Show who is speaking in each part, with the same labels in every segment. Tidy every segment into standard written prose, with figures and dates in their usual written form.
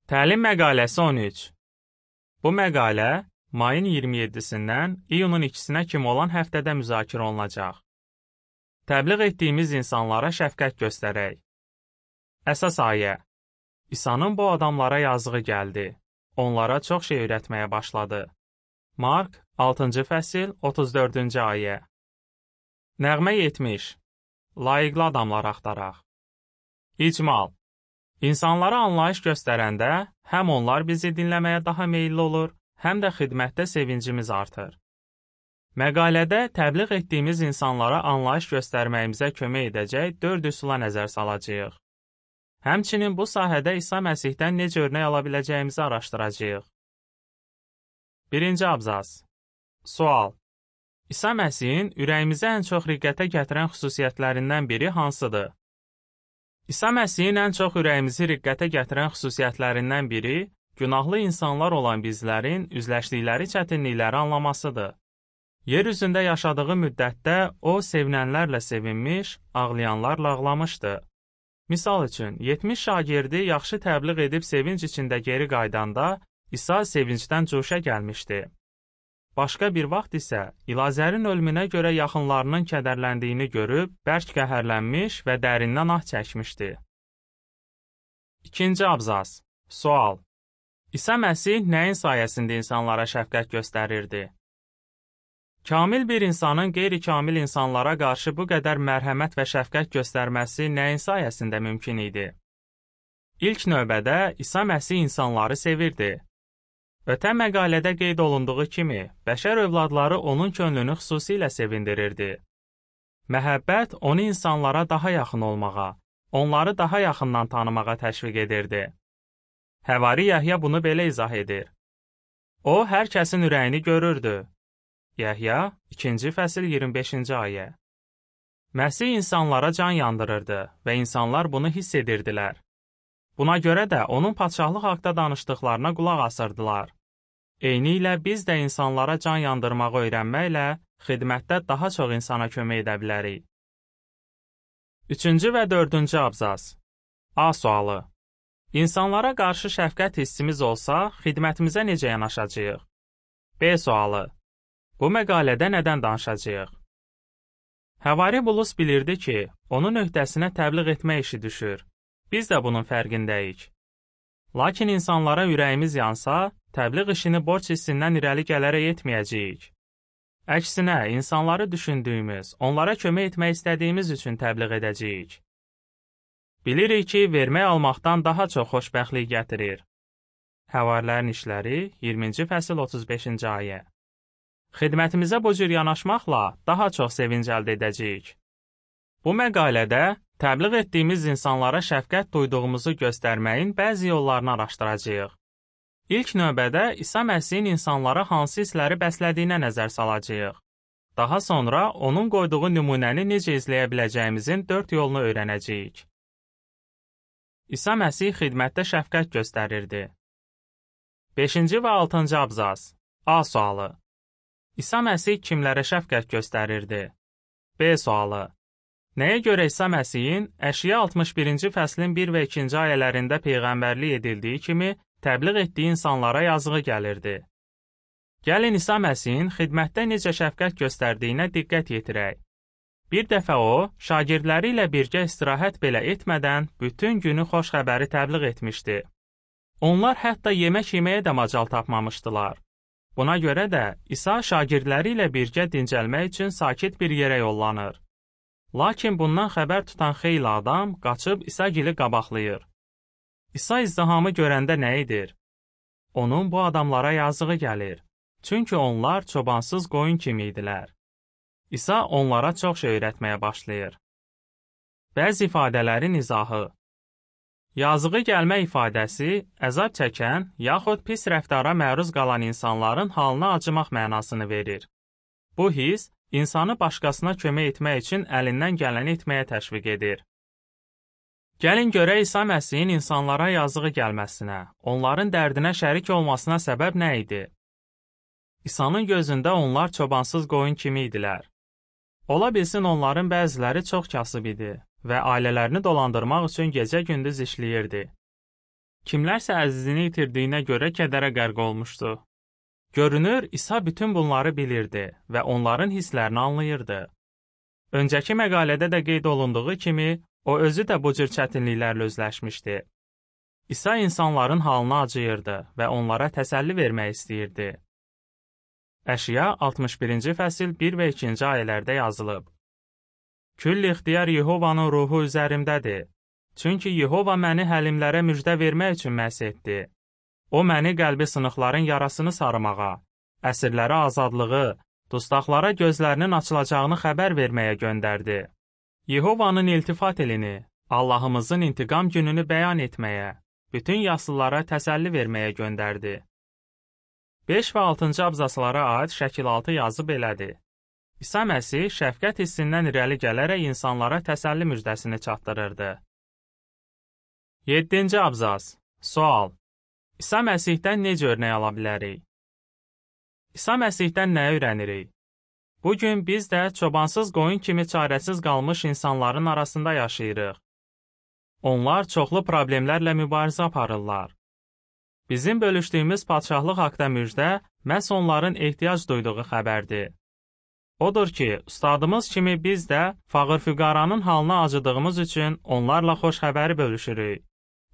Speaker 1: Təlim məqaləsi 13. Bu məqalə mayın 27-sindən iyunun 2-sinə kimi olan həftədə müzakirə olunacaq. Təbliğ etdiyimiz insanlara şəfqət göstərək. Əsas ayə. İsa'nın bu adamlara yazığı gəldi. Onlara çox şey öyrətməyə başladı. Mark 6-cı fəsil 34-cü ayə. Nəğmə 70. Layiqli adamlar axtaraq. İcmal. İnsanlara anlayış göstərəndə həm onlar bizi dinləməyə daha meyilli olur, həm də xidmətdə sevincimiz artır. Məqalədə təbliğ etdiyimiz insanlara anlayış göstərməyimizə kömək edəcək 4 üsula nəzər salacağıq. Həmçinin bu sahədə İsa Məsihdən necə örnək ala biləcəyimizi araşdıracağıq. 1-ci abzas. Sual. İsa Məsihin ürəyimizə ən çox riqqətə gətirən xüsusiyyətlərindən biri hansıdır? İsa Məsihin ən çox ürəyimizi riqqətə gətirən xüsusiyyətlərindən biri günahlı insanlar olan bizlərin üzləşdikləri çətinlikləri anlamasıdır. Yer üzündə yaşadığı müddətdə o, sevinənlərlə sevinmiş, ağlayanlarla ağlamışdı. Misal üçün, 70 şagirdi yaxşı təbliğ edib sevinc içində geri qaydanda, İsa sevincdən cuşa gəlmişdi. Başqa bir vaxt isə İlazərin ölümünə görə yaxınlarının kədərləndiyini görüb, bərk qəhərlənmiş və dərindən ah çəkmişdi. 2-ci abzas. Sual. İsa Məsih nəyin sayəsində insanlara şəfqət göstərirdi? Kamil bir insanın qeyri-kamil insanlara qarşı bu qədər mərhəmət və şəfqət göstərməsi nəyin sayəsində mümkün idi? İlk növbədə İsa Məsih insanları sevirdi. Ötən məqalədə qeyd olunduğu kimi, bəşər övladları onun könlünü xüsusilə sevindirirdi. Məhəbbət onu insanlara daha yaxın olmağa, onları daha yaxından tanımağa təşviq edirdi. Həvari Yəhya bunu belə izah edir. O, hər kəsin ürəyini görürdü. Yəhya 2-ci fəsil 25-ci ayə. Məsih insanlara can yandırırdı və insanlar bunu hiss edirdilər. Buna görə də onun padşahlıq haqda danışdıqlarına qulaq asırdılar. Eynilə biz də insanlara can yandırmağı öyrənməklə xidmətdə daha çox insana kömək edə bilərik. 3-cü və 4-cü abzas. A sualı. İnsanlara qarşı şəfqət hissimiz olsa, xidmətimizə necə yanaşacağıq? B sualı. Bu məqalədə nədən danışacağıq? Həvari Bulus bilirdi ki, onun öhdəsinə təbliğ etmək işi düşür. Biz də bunun fərqindəyik. Lakin insanlara ürəyimiz yansa, təbliğ işini borc hissindən irəli gələrək etməyəcəyik. Əksinə, insanları düşündüyümüz, onlara kömək etmək istədiyimiz üçün təbliğ edəcəyik. Bilirik ki, vermək almaqdan daha çox xoşbəxtlik gətirir. Həvarilərin işləri 20-ci fəsil 35-ci ayə. Xidmətimizə bu cür yanaşmaqla daha çox sevinc əldə edəcəyik. Bu məqalədə təbliğ etdiyimiz insanlara şəfqət duyduğumuzu göstərməyin bəzi yollarını araşdıracağıq. İlk növbədə İsa Məsihin insanlara hansı hissləri bəslədiyinə nəzər salacağıq. Daha sonra onun qoyduğu nümunəni necə izləyə biləcəyimizin 4 yolunu öyrənəcəyik. İsa Məsih xidmətdə şəfqət göstərirdi. 5-ci və 6-cı abzas. A sualı. İsa Məsih kimlərə şəfqət göstərirdi? B sualı. Nəyə görə İsa Məsihin Əşya 61-ci fəslin 1 və 2-ci ayələrində peyğəmbərlik edildiyi kimi təbliğ etdiyi insanlara yazığı gəlirdi? Gəlin İsa Məsihin xidmətdə necə şəfqət göstərdiyinə diqqət yetirək. Bir dəfə o, şagirdləri ilə birgə istirahət belə etmədən bütün günü xoş xəbəri təbliğ etmişdi. Onlar hətta yemək yeməyə də macal tapmamışdılar. Buna görə də İsa şagirdləri ilə birgə dincəlmək üçün sakit bir yerə yollanır. Lakin bundan xəbər tutan xeyli adam qaçıb İsa-gili qabaqlayır. İsa izdihamı görəndə nə edir? Onun bu adamlara yazığı gəlir. Çünki onlar çobansız qoyun kimi idilər. İsa onlara çox şey öyrətməyə başlayır. Bəzi ifadələrin izahı. Yazığı gəlmə ifadəsi əzab çəkən yaxud pis rəftara məruz qalan insanların halına acımaq mənasını verir. Bu his İnsanı başqasına kömək etmək üçün əlindən gələni etməyə təşviq edir. Gəlin görək İsa Məsihin insanlara yazığı gəlməsinə, onların dərdinə şərik olmasına səbəb nə idi? İsa'nın gözündə onlar çobansız qoyun kimi idilər. Ola bilsin onların bəziləri çox kasıb idi və ailələrini dolandırmaq üçün gecə-gündüz işləyirdi. Kimlərsə əzizini itirdiyinə görə kədərə qərq olmuşdu. Görünür, İsa bütün bunları bilirdi və onların hisslərini anlayırdı. Öncəki məqalədə də qeyd olunduğu kimi, o özü də bu cür çətinliklərlə üzləşmişdi. İsa insanların halına acıyırdı və onlara təsəlli vermək istəyirdi. Əşya 61-ci fəsil 1 və 2-ci ayələrdə yazılıb. Küll ixtiyar Yehovanın ruhu üzərimdədir. Çünki Yehova məni həlimlərə müjdə vermək üçün məhs etdi. O məni qəlbi sınıqların yarasını sarımağa, əsirlərə azadlığı, dustaqlara gözlərinin açılacağını xəbər verməyə göndərdi. Yehovanın iltifat elini, Allahımızın intiqam gününü bəyan etməyə, bütün yaşlılara təsəlli verməyə göndərdi. 5 və 6-cı abzaslara aid şəkil 6 yazı belədir. İsa Məsih şəfqət hissindən irəli gələrək insanlara təsəlli müjdəsini çatdırırdı. 7-ci abzas. Sual. İsa Məsihdən necə örnək ala bilərik? İsa Məsihdən nə öyrənirik? Bugün biz də çobansız qoyun kimi çarəsiz qalmış insanların arasında yaşayırıq. Onlar çoxlu problemlərlə mübarizə aparırlar. Bizim bölüşdüyümüz padşahlıq haqda müjdə məhz onların ehtiyac duyduğu xəbərdir. Odur ki, ustadımız kimi biz də fağır-füqaranın halına acıdığımız üçün onlarla xoş xəbəri bölüşürük.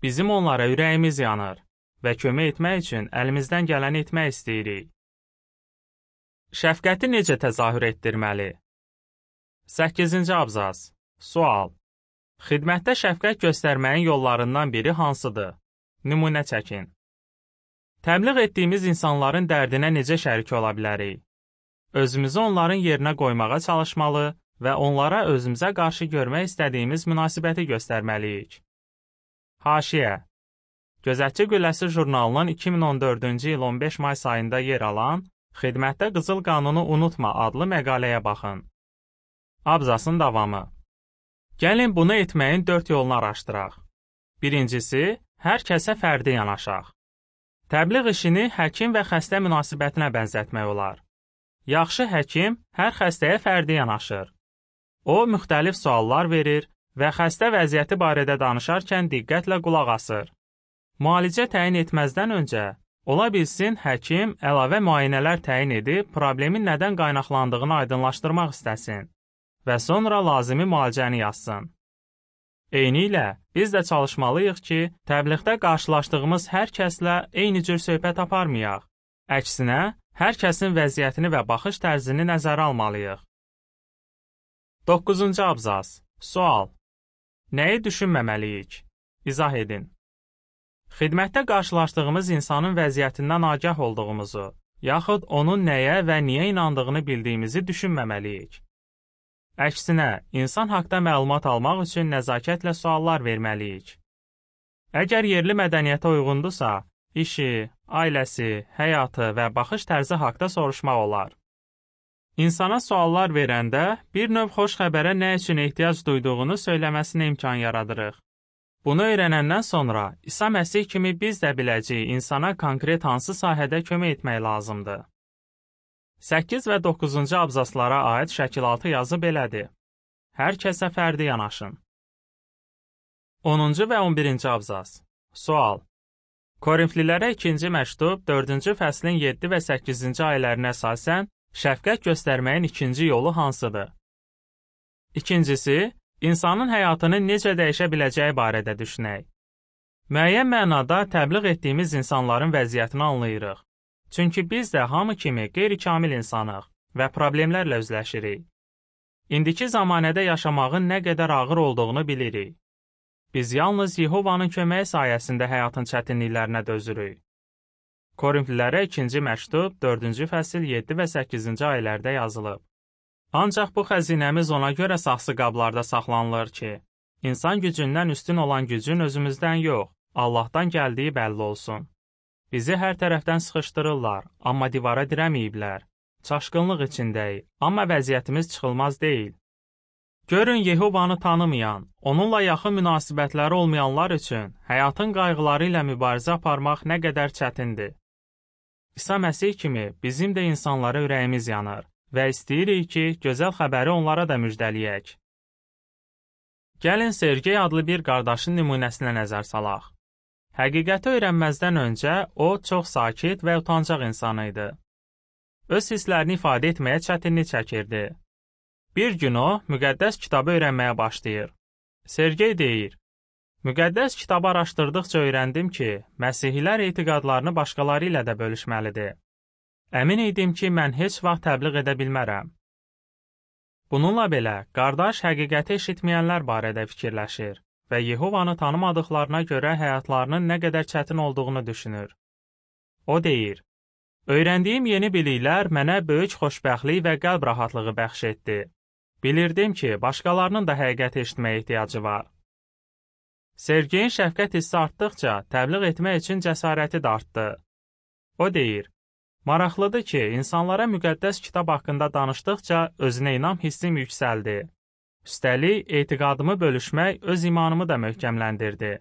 Speaker 1: Bizim onlara ürəyimiz yanır və kömək etmək üçün əlimizdən gələni etmək istəyirik. Şəfqəti necə təzahür etdirməli? 8-ci abzas. Sual. Xidmətdə şəfqət göstərməyin yollarından biri hansıdır? Nümunə çəkin. Təbliğ etdiyimiz insanların dərdinə necə şərik ola bilərik? Özümüzü onların yerinə qoymağa çalışmalı və onlara özümüzə qarşı görmək istədiyimiz münasibəti göstərməliyik. Haşiyə. Gözətçi Qülləsi jurnalının 2014-cü il 15 may sayında yer alan Xidmətdə Qızıl Qanunu Unutma adlı məqaləyə baxın. Abzasın davamı. Gəlin bunu etməyin 4 yolunu araşdıraq. Birincisi, hər kəsə fərdi yanaşaq. Təbliğ işini həkim və xəstə münasibətinə bənzətmək olar. Yaxşı həkim hər xəstəyə fərdi yanaşır. O, müxtəlif suallar verir və xəstə vəziyyəti barədə danışarkən diqqətlə qulaq asır. Müalicə təyin etməzdən öncə, ola bilsin həkim əlavə müayinələr təyin edib problemin nədən qaynaqlandığını aydınlaşdırmaq istəsin və sonra lazımi müalicəni yazsın. Eynilə, biz də çalışmalıyıq ki, təbliğdə qarşılaşdığımız hər kəslə eyni cür söhbət aparmayaq. Əksinə, hər kəsin vəziyyətini və baxış tərzini nəzərə almalıyıq. 9-cu abzas. Sual. Nəyi düşünməməliyik? İzah edin. Xidmətdə qarşılaşdığımız insanın vəziyyətindən agah olduğumuzu, yaxud onun nəyə və niyə inandığını bildiyimizi düşünməməliyik. Əksinə, insan haqda məlumat almaq üçün nəzakətlə suallar verməliyik. Əgər yerli mədəniyyətə uyğundursa, işi, ailəsi, həyatı və baxış tərzi haqda soruşmaq olar. İnsana suallar verəndə bir növ xoş xəbərə nə üçün ehtiyac duyduğunu söyləməsinə imkan yaradırıq. Bunu öyrənəndən sonra İsa Məsih kimi biz də biləcəyik insana konkret hansı sahədə kömək etmək lazımdır. 8 və 9-cu abzaslara aid şəkil 6 yazı belədir. Hər kəsə fərdi yanaşın. 10-cu və 11-ci abzas. Sual. Korinflilərə 2-ci məktub 4-cü fəslin 7 və 8-ci ayələrinə əsasən şəfqət göstərməyin ikinci yolu hansıdır? İkincisi, insanın həyatını necə dəyişə biləcəyi barədə düşünək. Müəyyən mənada təbliğ etdiyimiz insanların vəziyyətini anlayırıq. Çünki biz də hamı kimi qeyri-kamil insanıq və problemlərlə üzləşirik. İndiki zamanədə yaşamağın nə qədər ağır olduğunu bilirik. Biz yalnız Yehovanın köməyi sayəsində həyatın çətinliklərinə dözürük. Korinflilərə 2-ci məktub 4-cü fəsil 7 və 8-ci ayələrdə yazılıb. Ancaq bu xəzinəmiz ona görə saxsı qablarda saxlanılır ki, insan gücündən üstün olan gücün özümüzdən yox, Allahdan gəldiyi bəlli olsun. Bizi hər tərəfdən sıxışdırırlar, amma divara dirəməyiblər. Çaşqınlıq içindəyik, amma vəziyyətimiz çıxılmaz deyil. Görün, Yehovanı tanımayan, onunla yaxın münasibətləri olmayanlar üçün həyatın qayğıları ilə mübarizə aparmaq nə qədər çətindir. İsa Məsih kimi bizim də insanlara ürəyimiz yanır və istəyirik ki, gözəl xəbəri onlara da müjdəliyək. Gəlin Sergey adlı bir qardaşın nümunəsinə nəzər salaq. Həqiqəti öyrənməzdən öncə o çox sakit və utancaq insan idi. Öz hisslərini ifadə etməyə çətinlik çəkirdi. Bir gün o, müqəddəs kitabı öyrənməyə başlayır. Sergey deyir, müqəddəs kitabı araşdırdıqca öyrəndim ki, məsihilər etiqadlarını başqaları ilə də bölüşməlidir. Əmin idim ki, mən heç vaxt təbliğ edə bilmərəm. Bununla belə, qardaş həqiqəti eşitməyənlər barədə fikirləşir və Yehovanı tanımadıqlarına görə həyatlarının nə qədər çətin olduğunu düşünür. O deyir, öyrəndiyim yeni biliklər mənə böyük xoşbəxtlik və qəlb rahatlığı bəxş etdi. Bilirdim ki, başqalarının da həqiqəti eşitməyə ehtiyacı var. Sergeyin şəfqət hissi artdıqca təbliğ etmək üçün cəsarəti də artdı. O deyir, maraqlıdır ki, insanlara müqəddəs kitab haqqında danışdıqca özünə inam hissim yüksəldi. Üstəlik, etiqadımı bölüşmək öz imanımı da möhkəmləndirdi.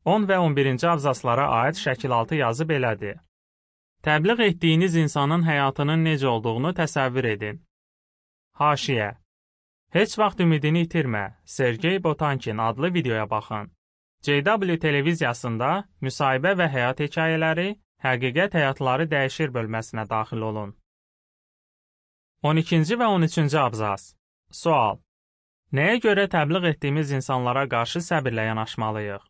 Speaker 1: 10 və 11-ci abzaslara aid şəkil altı yazı belədir. Təbliğ etdiyiniz insanın həyatının necə olduğunu təsəvvür edin. Haşiyə. Heç vaxt ümidini itirmə, Sergey Botankin adlı videoya baxın. JW televiziyasında müsahibə və həyat hekayələri, həqiqət həyatları dəyişir bölməsinə daxil olun. 12-ci və 13-cü abzas. Sual. Nəyə görə təbliğ etdiyimiz insanlara qarşı səbirlə yanaşmalıyıq?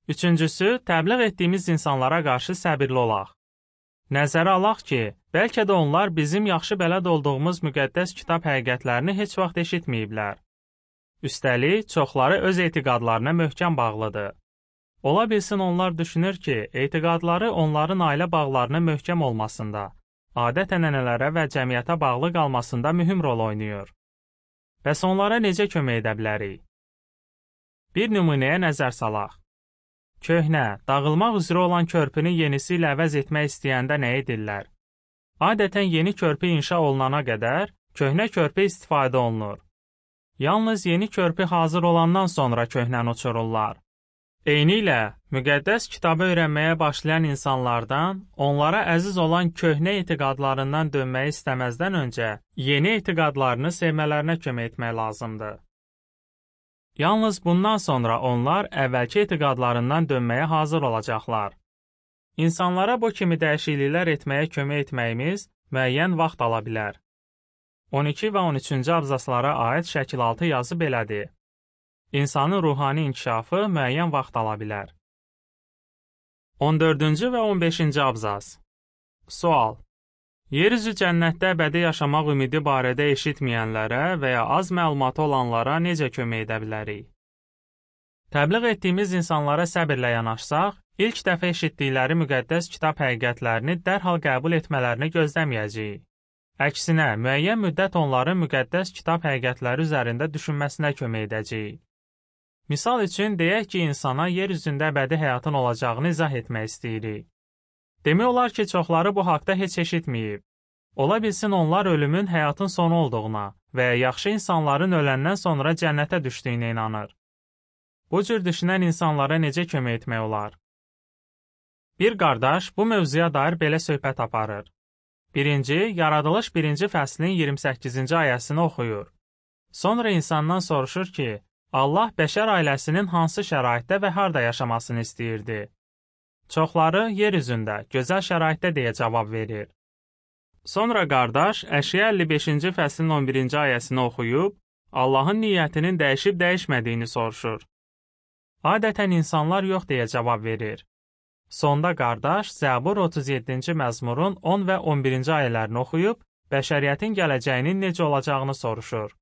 Speaker 1: Üçüncüsü, təbliğ etdiyimiz insanlara qarşı səbirli olaq. Nəzərə alaq ki, bəlkə də onlar bizim yaxşı bələd olduğumuz müqəddəs kitab həqiqətlərini heç vaxt eşitməyiblər. Üstəlik, çoxları öz etiqadlarına möhkəm bağlıdır. Ola bilsin onlar düşünür ki, etiqadları onların ailə bağlarına möhkəm olmasında, adət-ənənələrə və cəmiyyətə bağlı qalmasında mühüm rol oynayır. Bəs onlara necə kömək edə bilərik? Bir nümunəyə nəzər salaq. Köhnə, dağılmaq üzrə olan körpünü yenisi ilə əvəz etmək istəyəndə nə edirlər? Adətən yeni körpü inşa olunana qədər köhnə körpü istifadə olunur. Yalnız yeni körpü hazır olandan sonra köhnəni uçururlar. Eynilə, müqəddəs kitabı öyrənməyə başlayan insanlardan, onlara əziz olan köhnə etiqadlarından dönməyi istəməzdən öncə yeni etiqadlarını sevmələrinə kömək etmək lazımdır. Yalnız bundan sonra onlar əvvəlki etiqadlarından dönməyə hazır olacaqlar. İnsanlara bu kimi dəyişikliklər etməyə kömək etməyimiz müəyyən vaxt ala bilər. 12 və 13-cü abzaslara aid şəkil altı yazı belədir. İnsanın ruhani inkişafı müəyyən vaxt ala bilər. 14-cü və 15-ci abzas. Sual. Yeryüzü cənnətdə əbədi yaşamaq ümidi barədə eşitməyənlərə və ya az məlumatı olanlara necə kömək edə bilərik? Təbliğ etdiyimiz insanlara səbirlə yanaşsaq, ilk dəfə eşitdikləri müqəddəs kitab həqiqətlərini dərhal qəbul etmələrini gözləməyəcəyik. Əksinə, müəyyən müddət onların müqəddəs kitab həqiqətləri üzərində düşünməsinə kömək edəcəyik. Misal üçün, deyək ki, insana yer üzündə əbədi həyatın olacağını izah etmək istəyirik. Demək olar ki, çoxları bu haqda heç eşitməyib. Ola bilsin onlar ölümün həyatın sonu olduğuna və yaxşı insanların öləndən sonra cənnətə düşdüyünə inanır. Bu cür düşünən insanlara necə kömək etmək olar? Bir qardaş bu mövzuya dair belə söhbət aparır. 1. Yaradılış 1-ci fəslin 28-ci ayəsini oxuyur. Sonra insandan soruşur ki, Allah bəşər ailəsinin hansı şəraitdə və harda yaşamasını istəyirdi? Çoxları yer üzündə, gözəl şəraitdə deyə cavab verir. Sonra qardaş Əşya 55-ci fəslin 11-ci ayəsini oxuyub, Allahın niyyətinin dəyişib-dəyişmədiyini soruşur. Adətən insanlar yox deyə cavab verir. Sonda qardaş Zəbur 37-ci məzmurun 10 və 11-ci ayələrini oxuyub, bəşəriyyətin gələcəyinin necə olacağını soruşur.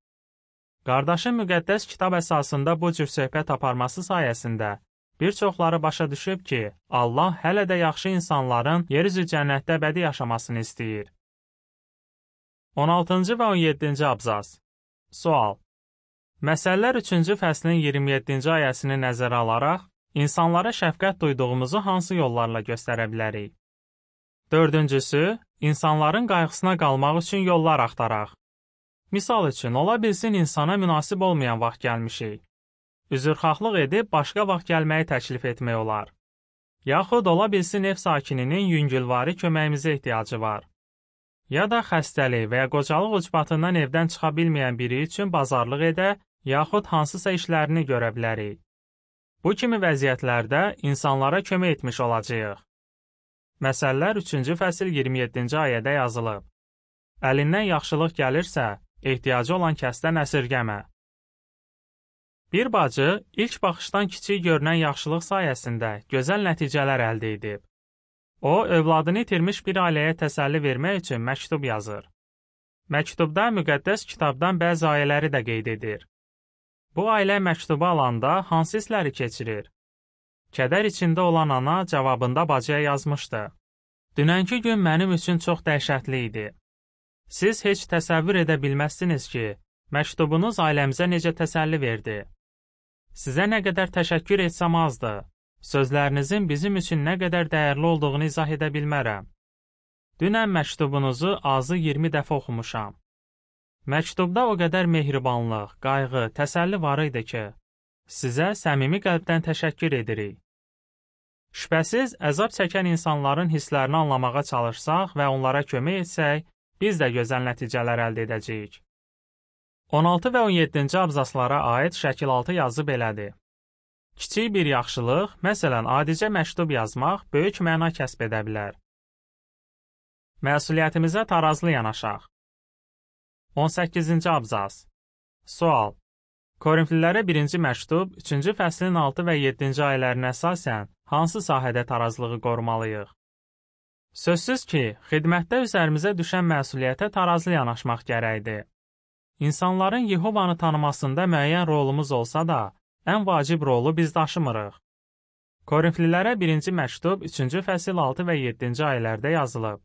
Speaker 1: Qardaşın müqəddəs kitab əsasında bu cür söhbət aparması sayəsində bir çoxları başa düşüb ki, Allah hələ də yaxşı insanların yeryüzü cənnətdə əbədi yaşamasını istəyir. 16-cı və 17-ci abzas. Sual. Məsələlər 3-cü fəslin 27-ci ayəsini nəzərə alaraq, insanlara şəfqət duyduğumuzu hansı yollarla göstərə bilərik? 4-cüsü, insanların qayğısına qalmaq üçün yollar axtaraq. Misal üçün, ola bilsin insana münasib olmayan vaxt gəlmişik. Üzrxahlıq edib başqa vaxt gəlməyi təklif etmək olar. Yaxud ola bilsin ev sakininin yüngülvari köməyimizə ehtiyacı var. Ya da xəstəlik və ya qocalıq ucbatından evdən çıxa bilməyən biri üçün bazarlıq edə, yaxud hansısa işlərini görə bilərik. Bu kimi vəziyyətlərdə insanlara kömək etmiş olacağıq. Məsəllər 3-cü fəsil 27-ci ayədə yazılıb. Əlindən yaxşılıq gəlirsə, ehtiyacı olan kəsdən əsirgəmə. Bir bacı ilk baxışdan kiçik görünən yaxşılıq sayəsində gözəl nəticələr əldə edib. O, övladını itirmiş bir ailəyə təsəlli vermək üçün məktub yazır. Məktubda müqəddəs kitabdan bəzi ayələri də qeyd edir. Bu ailə məktubu alanda hansı hissləri keçirir? Kədər içində olan ana cavabında bacıya yazmışdı. Dünənki gün mənim üçün çox dəhşətli idi. Siz heç təsəvvür edə bilməzsiniz ki, məktubunuz ailəmizə necə təsəlli verdi. Sizə nə qədər təşəkkür etsəm azdır. Sözlərinizin bizim üçün nə qədər dəyərli olduğunu izah edə bilmərəm. Dünən məktubunuzu azı 20 dəfə oxumuşam. Məktubda o qədər mehribanlıq, qayğı, təsəlli var idi ki, sizə səmimi qəlbdən təşəkkür edirik. Şübhəsiz, əzab çəkən insanların hisslərini anlamağa çalışsaq və onlara kömək etsək, biz də gözəl nəticələr əldə edəcəyik. 16 və 17-ci abzaslara aid şəkil 6 yazı belədir. Kiçik bir yaxşılıq, məsələn, adicə məktub yazmaq, böyük məna kəsb edə bilər. Məsuliyyətimizə tarazlı yanaşaq. 18-ci abzas. Sual. Korinflilərə 1-ci məktub, 3-cü fəslin 6 və 7-ci ayələrinə əsasən hansı sahədə tarazlığı qorumalıyıq? Sözsüz ki, xidmətdə üzərimizə düşən məsuliyyətə tarazlı yanaşmaq gərəkdir. İnsanların Yehovanı tanımasında müəyyən rolumuz olsa da, ən vacib rolu biz daşımırıq. Korinflilərə 1-ci məktub, 3-cü fəsil 6 və 7-ci ayələrdə yazılıb.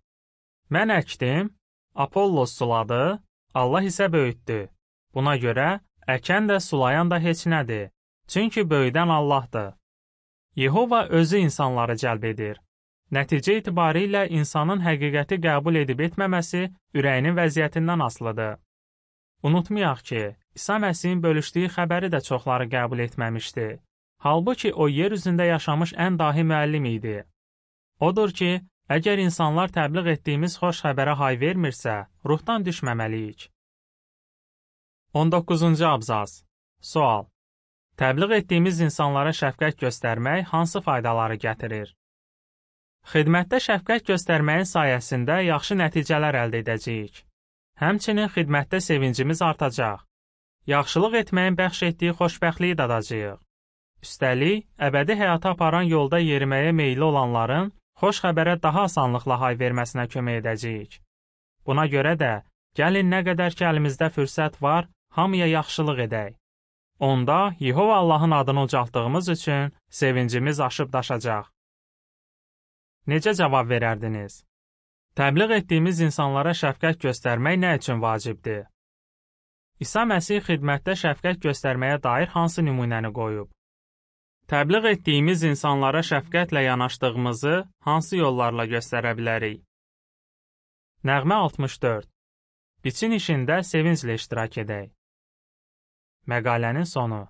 Speaker 1: Mən əkdim, Apollos suladı, Allah isə böyütdü. Buna görə, əkən də sulayan da heç nədir, çünki böyüdən Allahdır. Yehova özü insanları cəlb edir. Nəticə itibarilə insanın həqiqəti qəbul edib etməməsi ürəyinin vəziyyətindən asılıdır. Unutmayaq ki, İsa Məsihin bölüşdüyü xəbəri də çoxları qəbul etməmişdi. Halbuki o yer üzündə yaşamış ən dahi müəllim idi. Odur ki, əgər insanlar təbliğ etdiyimiz xoş xəbərə hay vermirsə, ruhdan düşməməliyik. 19-cu abzas. Sual. Təbliğ etdiyimiz insanlara şəfqət göstərmək hansı faydaları gətirir? Xidmətdə şəfqət göstərməyin sayəsində yaxşı nəticələr əldə edəcəyik. Həmçinin xidmətdə sevincimiz artacaq. Yaxşılıq etməyin bəxş etdiyi xoşbəxtliyi dadacağıq. Üstəlik, əbədi həyata aparan yolda yeriməyə meyilli olanların xoş xəbərə daha asanlıqla hay verməsinə kömək edəcəyik. Buna görə də, gəlin nə qədər ki əlimizdə fürsət var, hamıya yaxşılıq edək. Onda Yehova Allahın adını ucaltdığımız üçün sevincimiz aşıb daşacaq. Necə cavab verərdiniz? Təbliğ etdiyimiz insanlara şəfqət göstərmək nə üçün vacibdir? İsa Məsih xidmətdə şəfqət göstərməyə dair hansı nümunəni qoyub? Təbliğ etdiyimiz insanlara şəfqətlə yanaşdığımızı hansı yollarla göstərə bilərik? Nəğmə 64. Biçin işində sevinclə iştirak edək. Məqalənin sonu.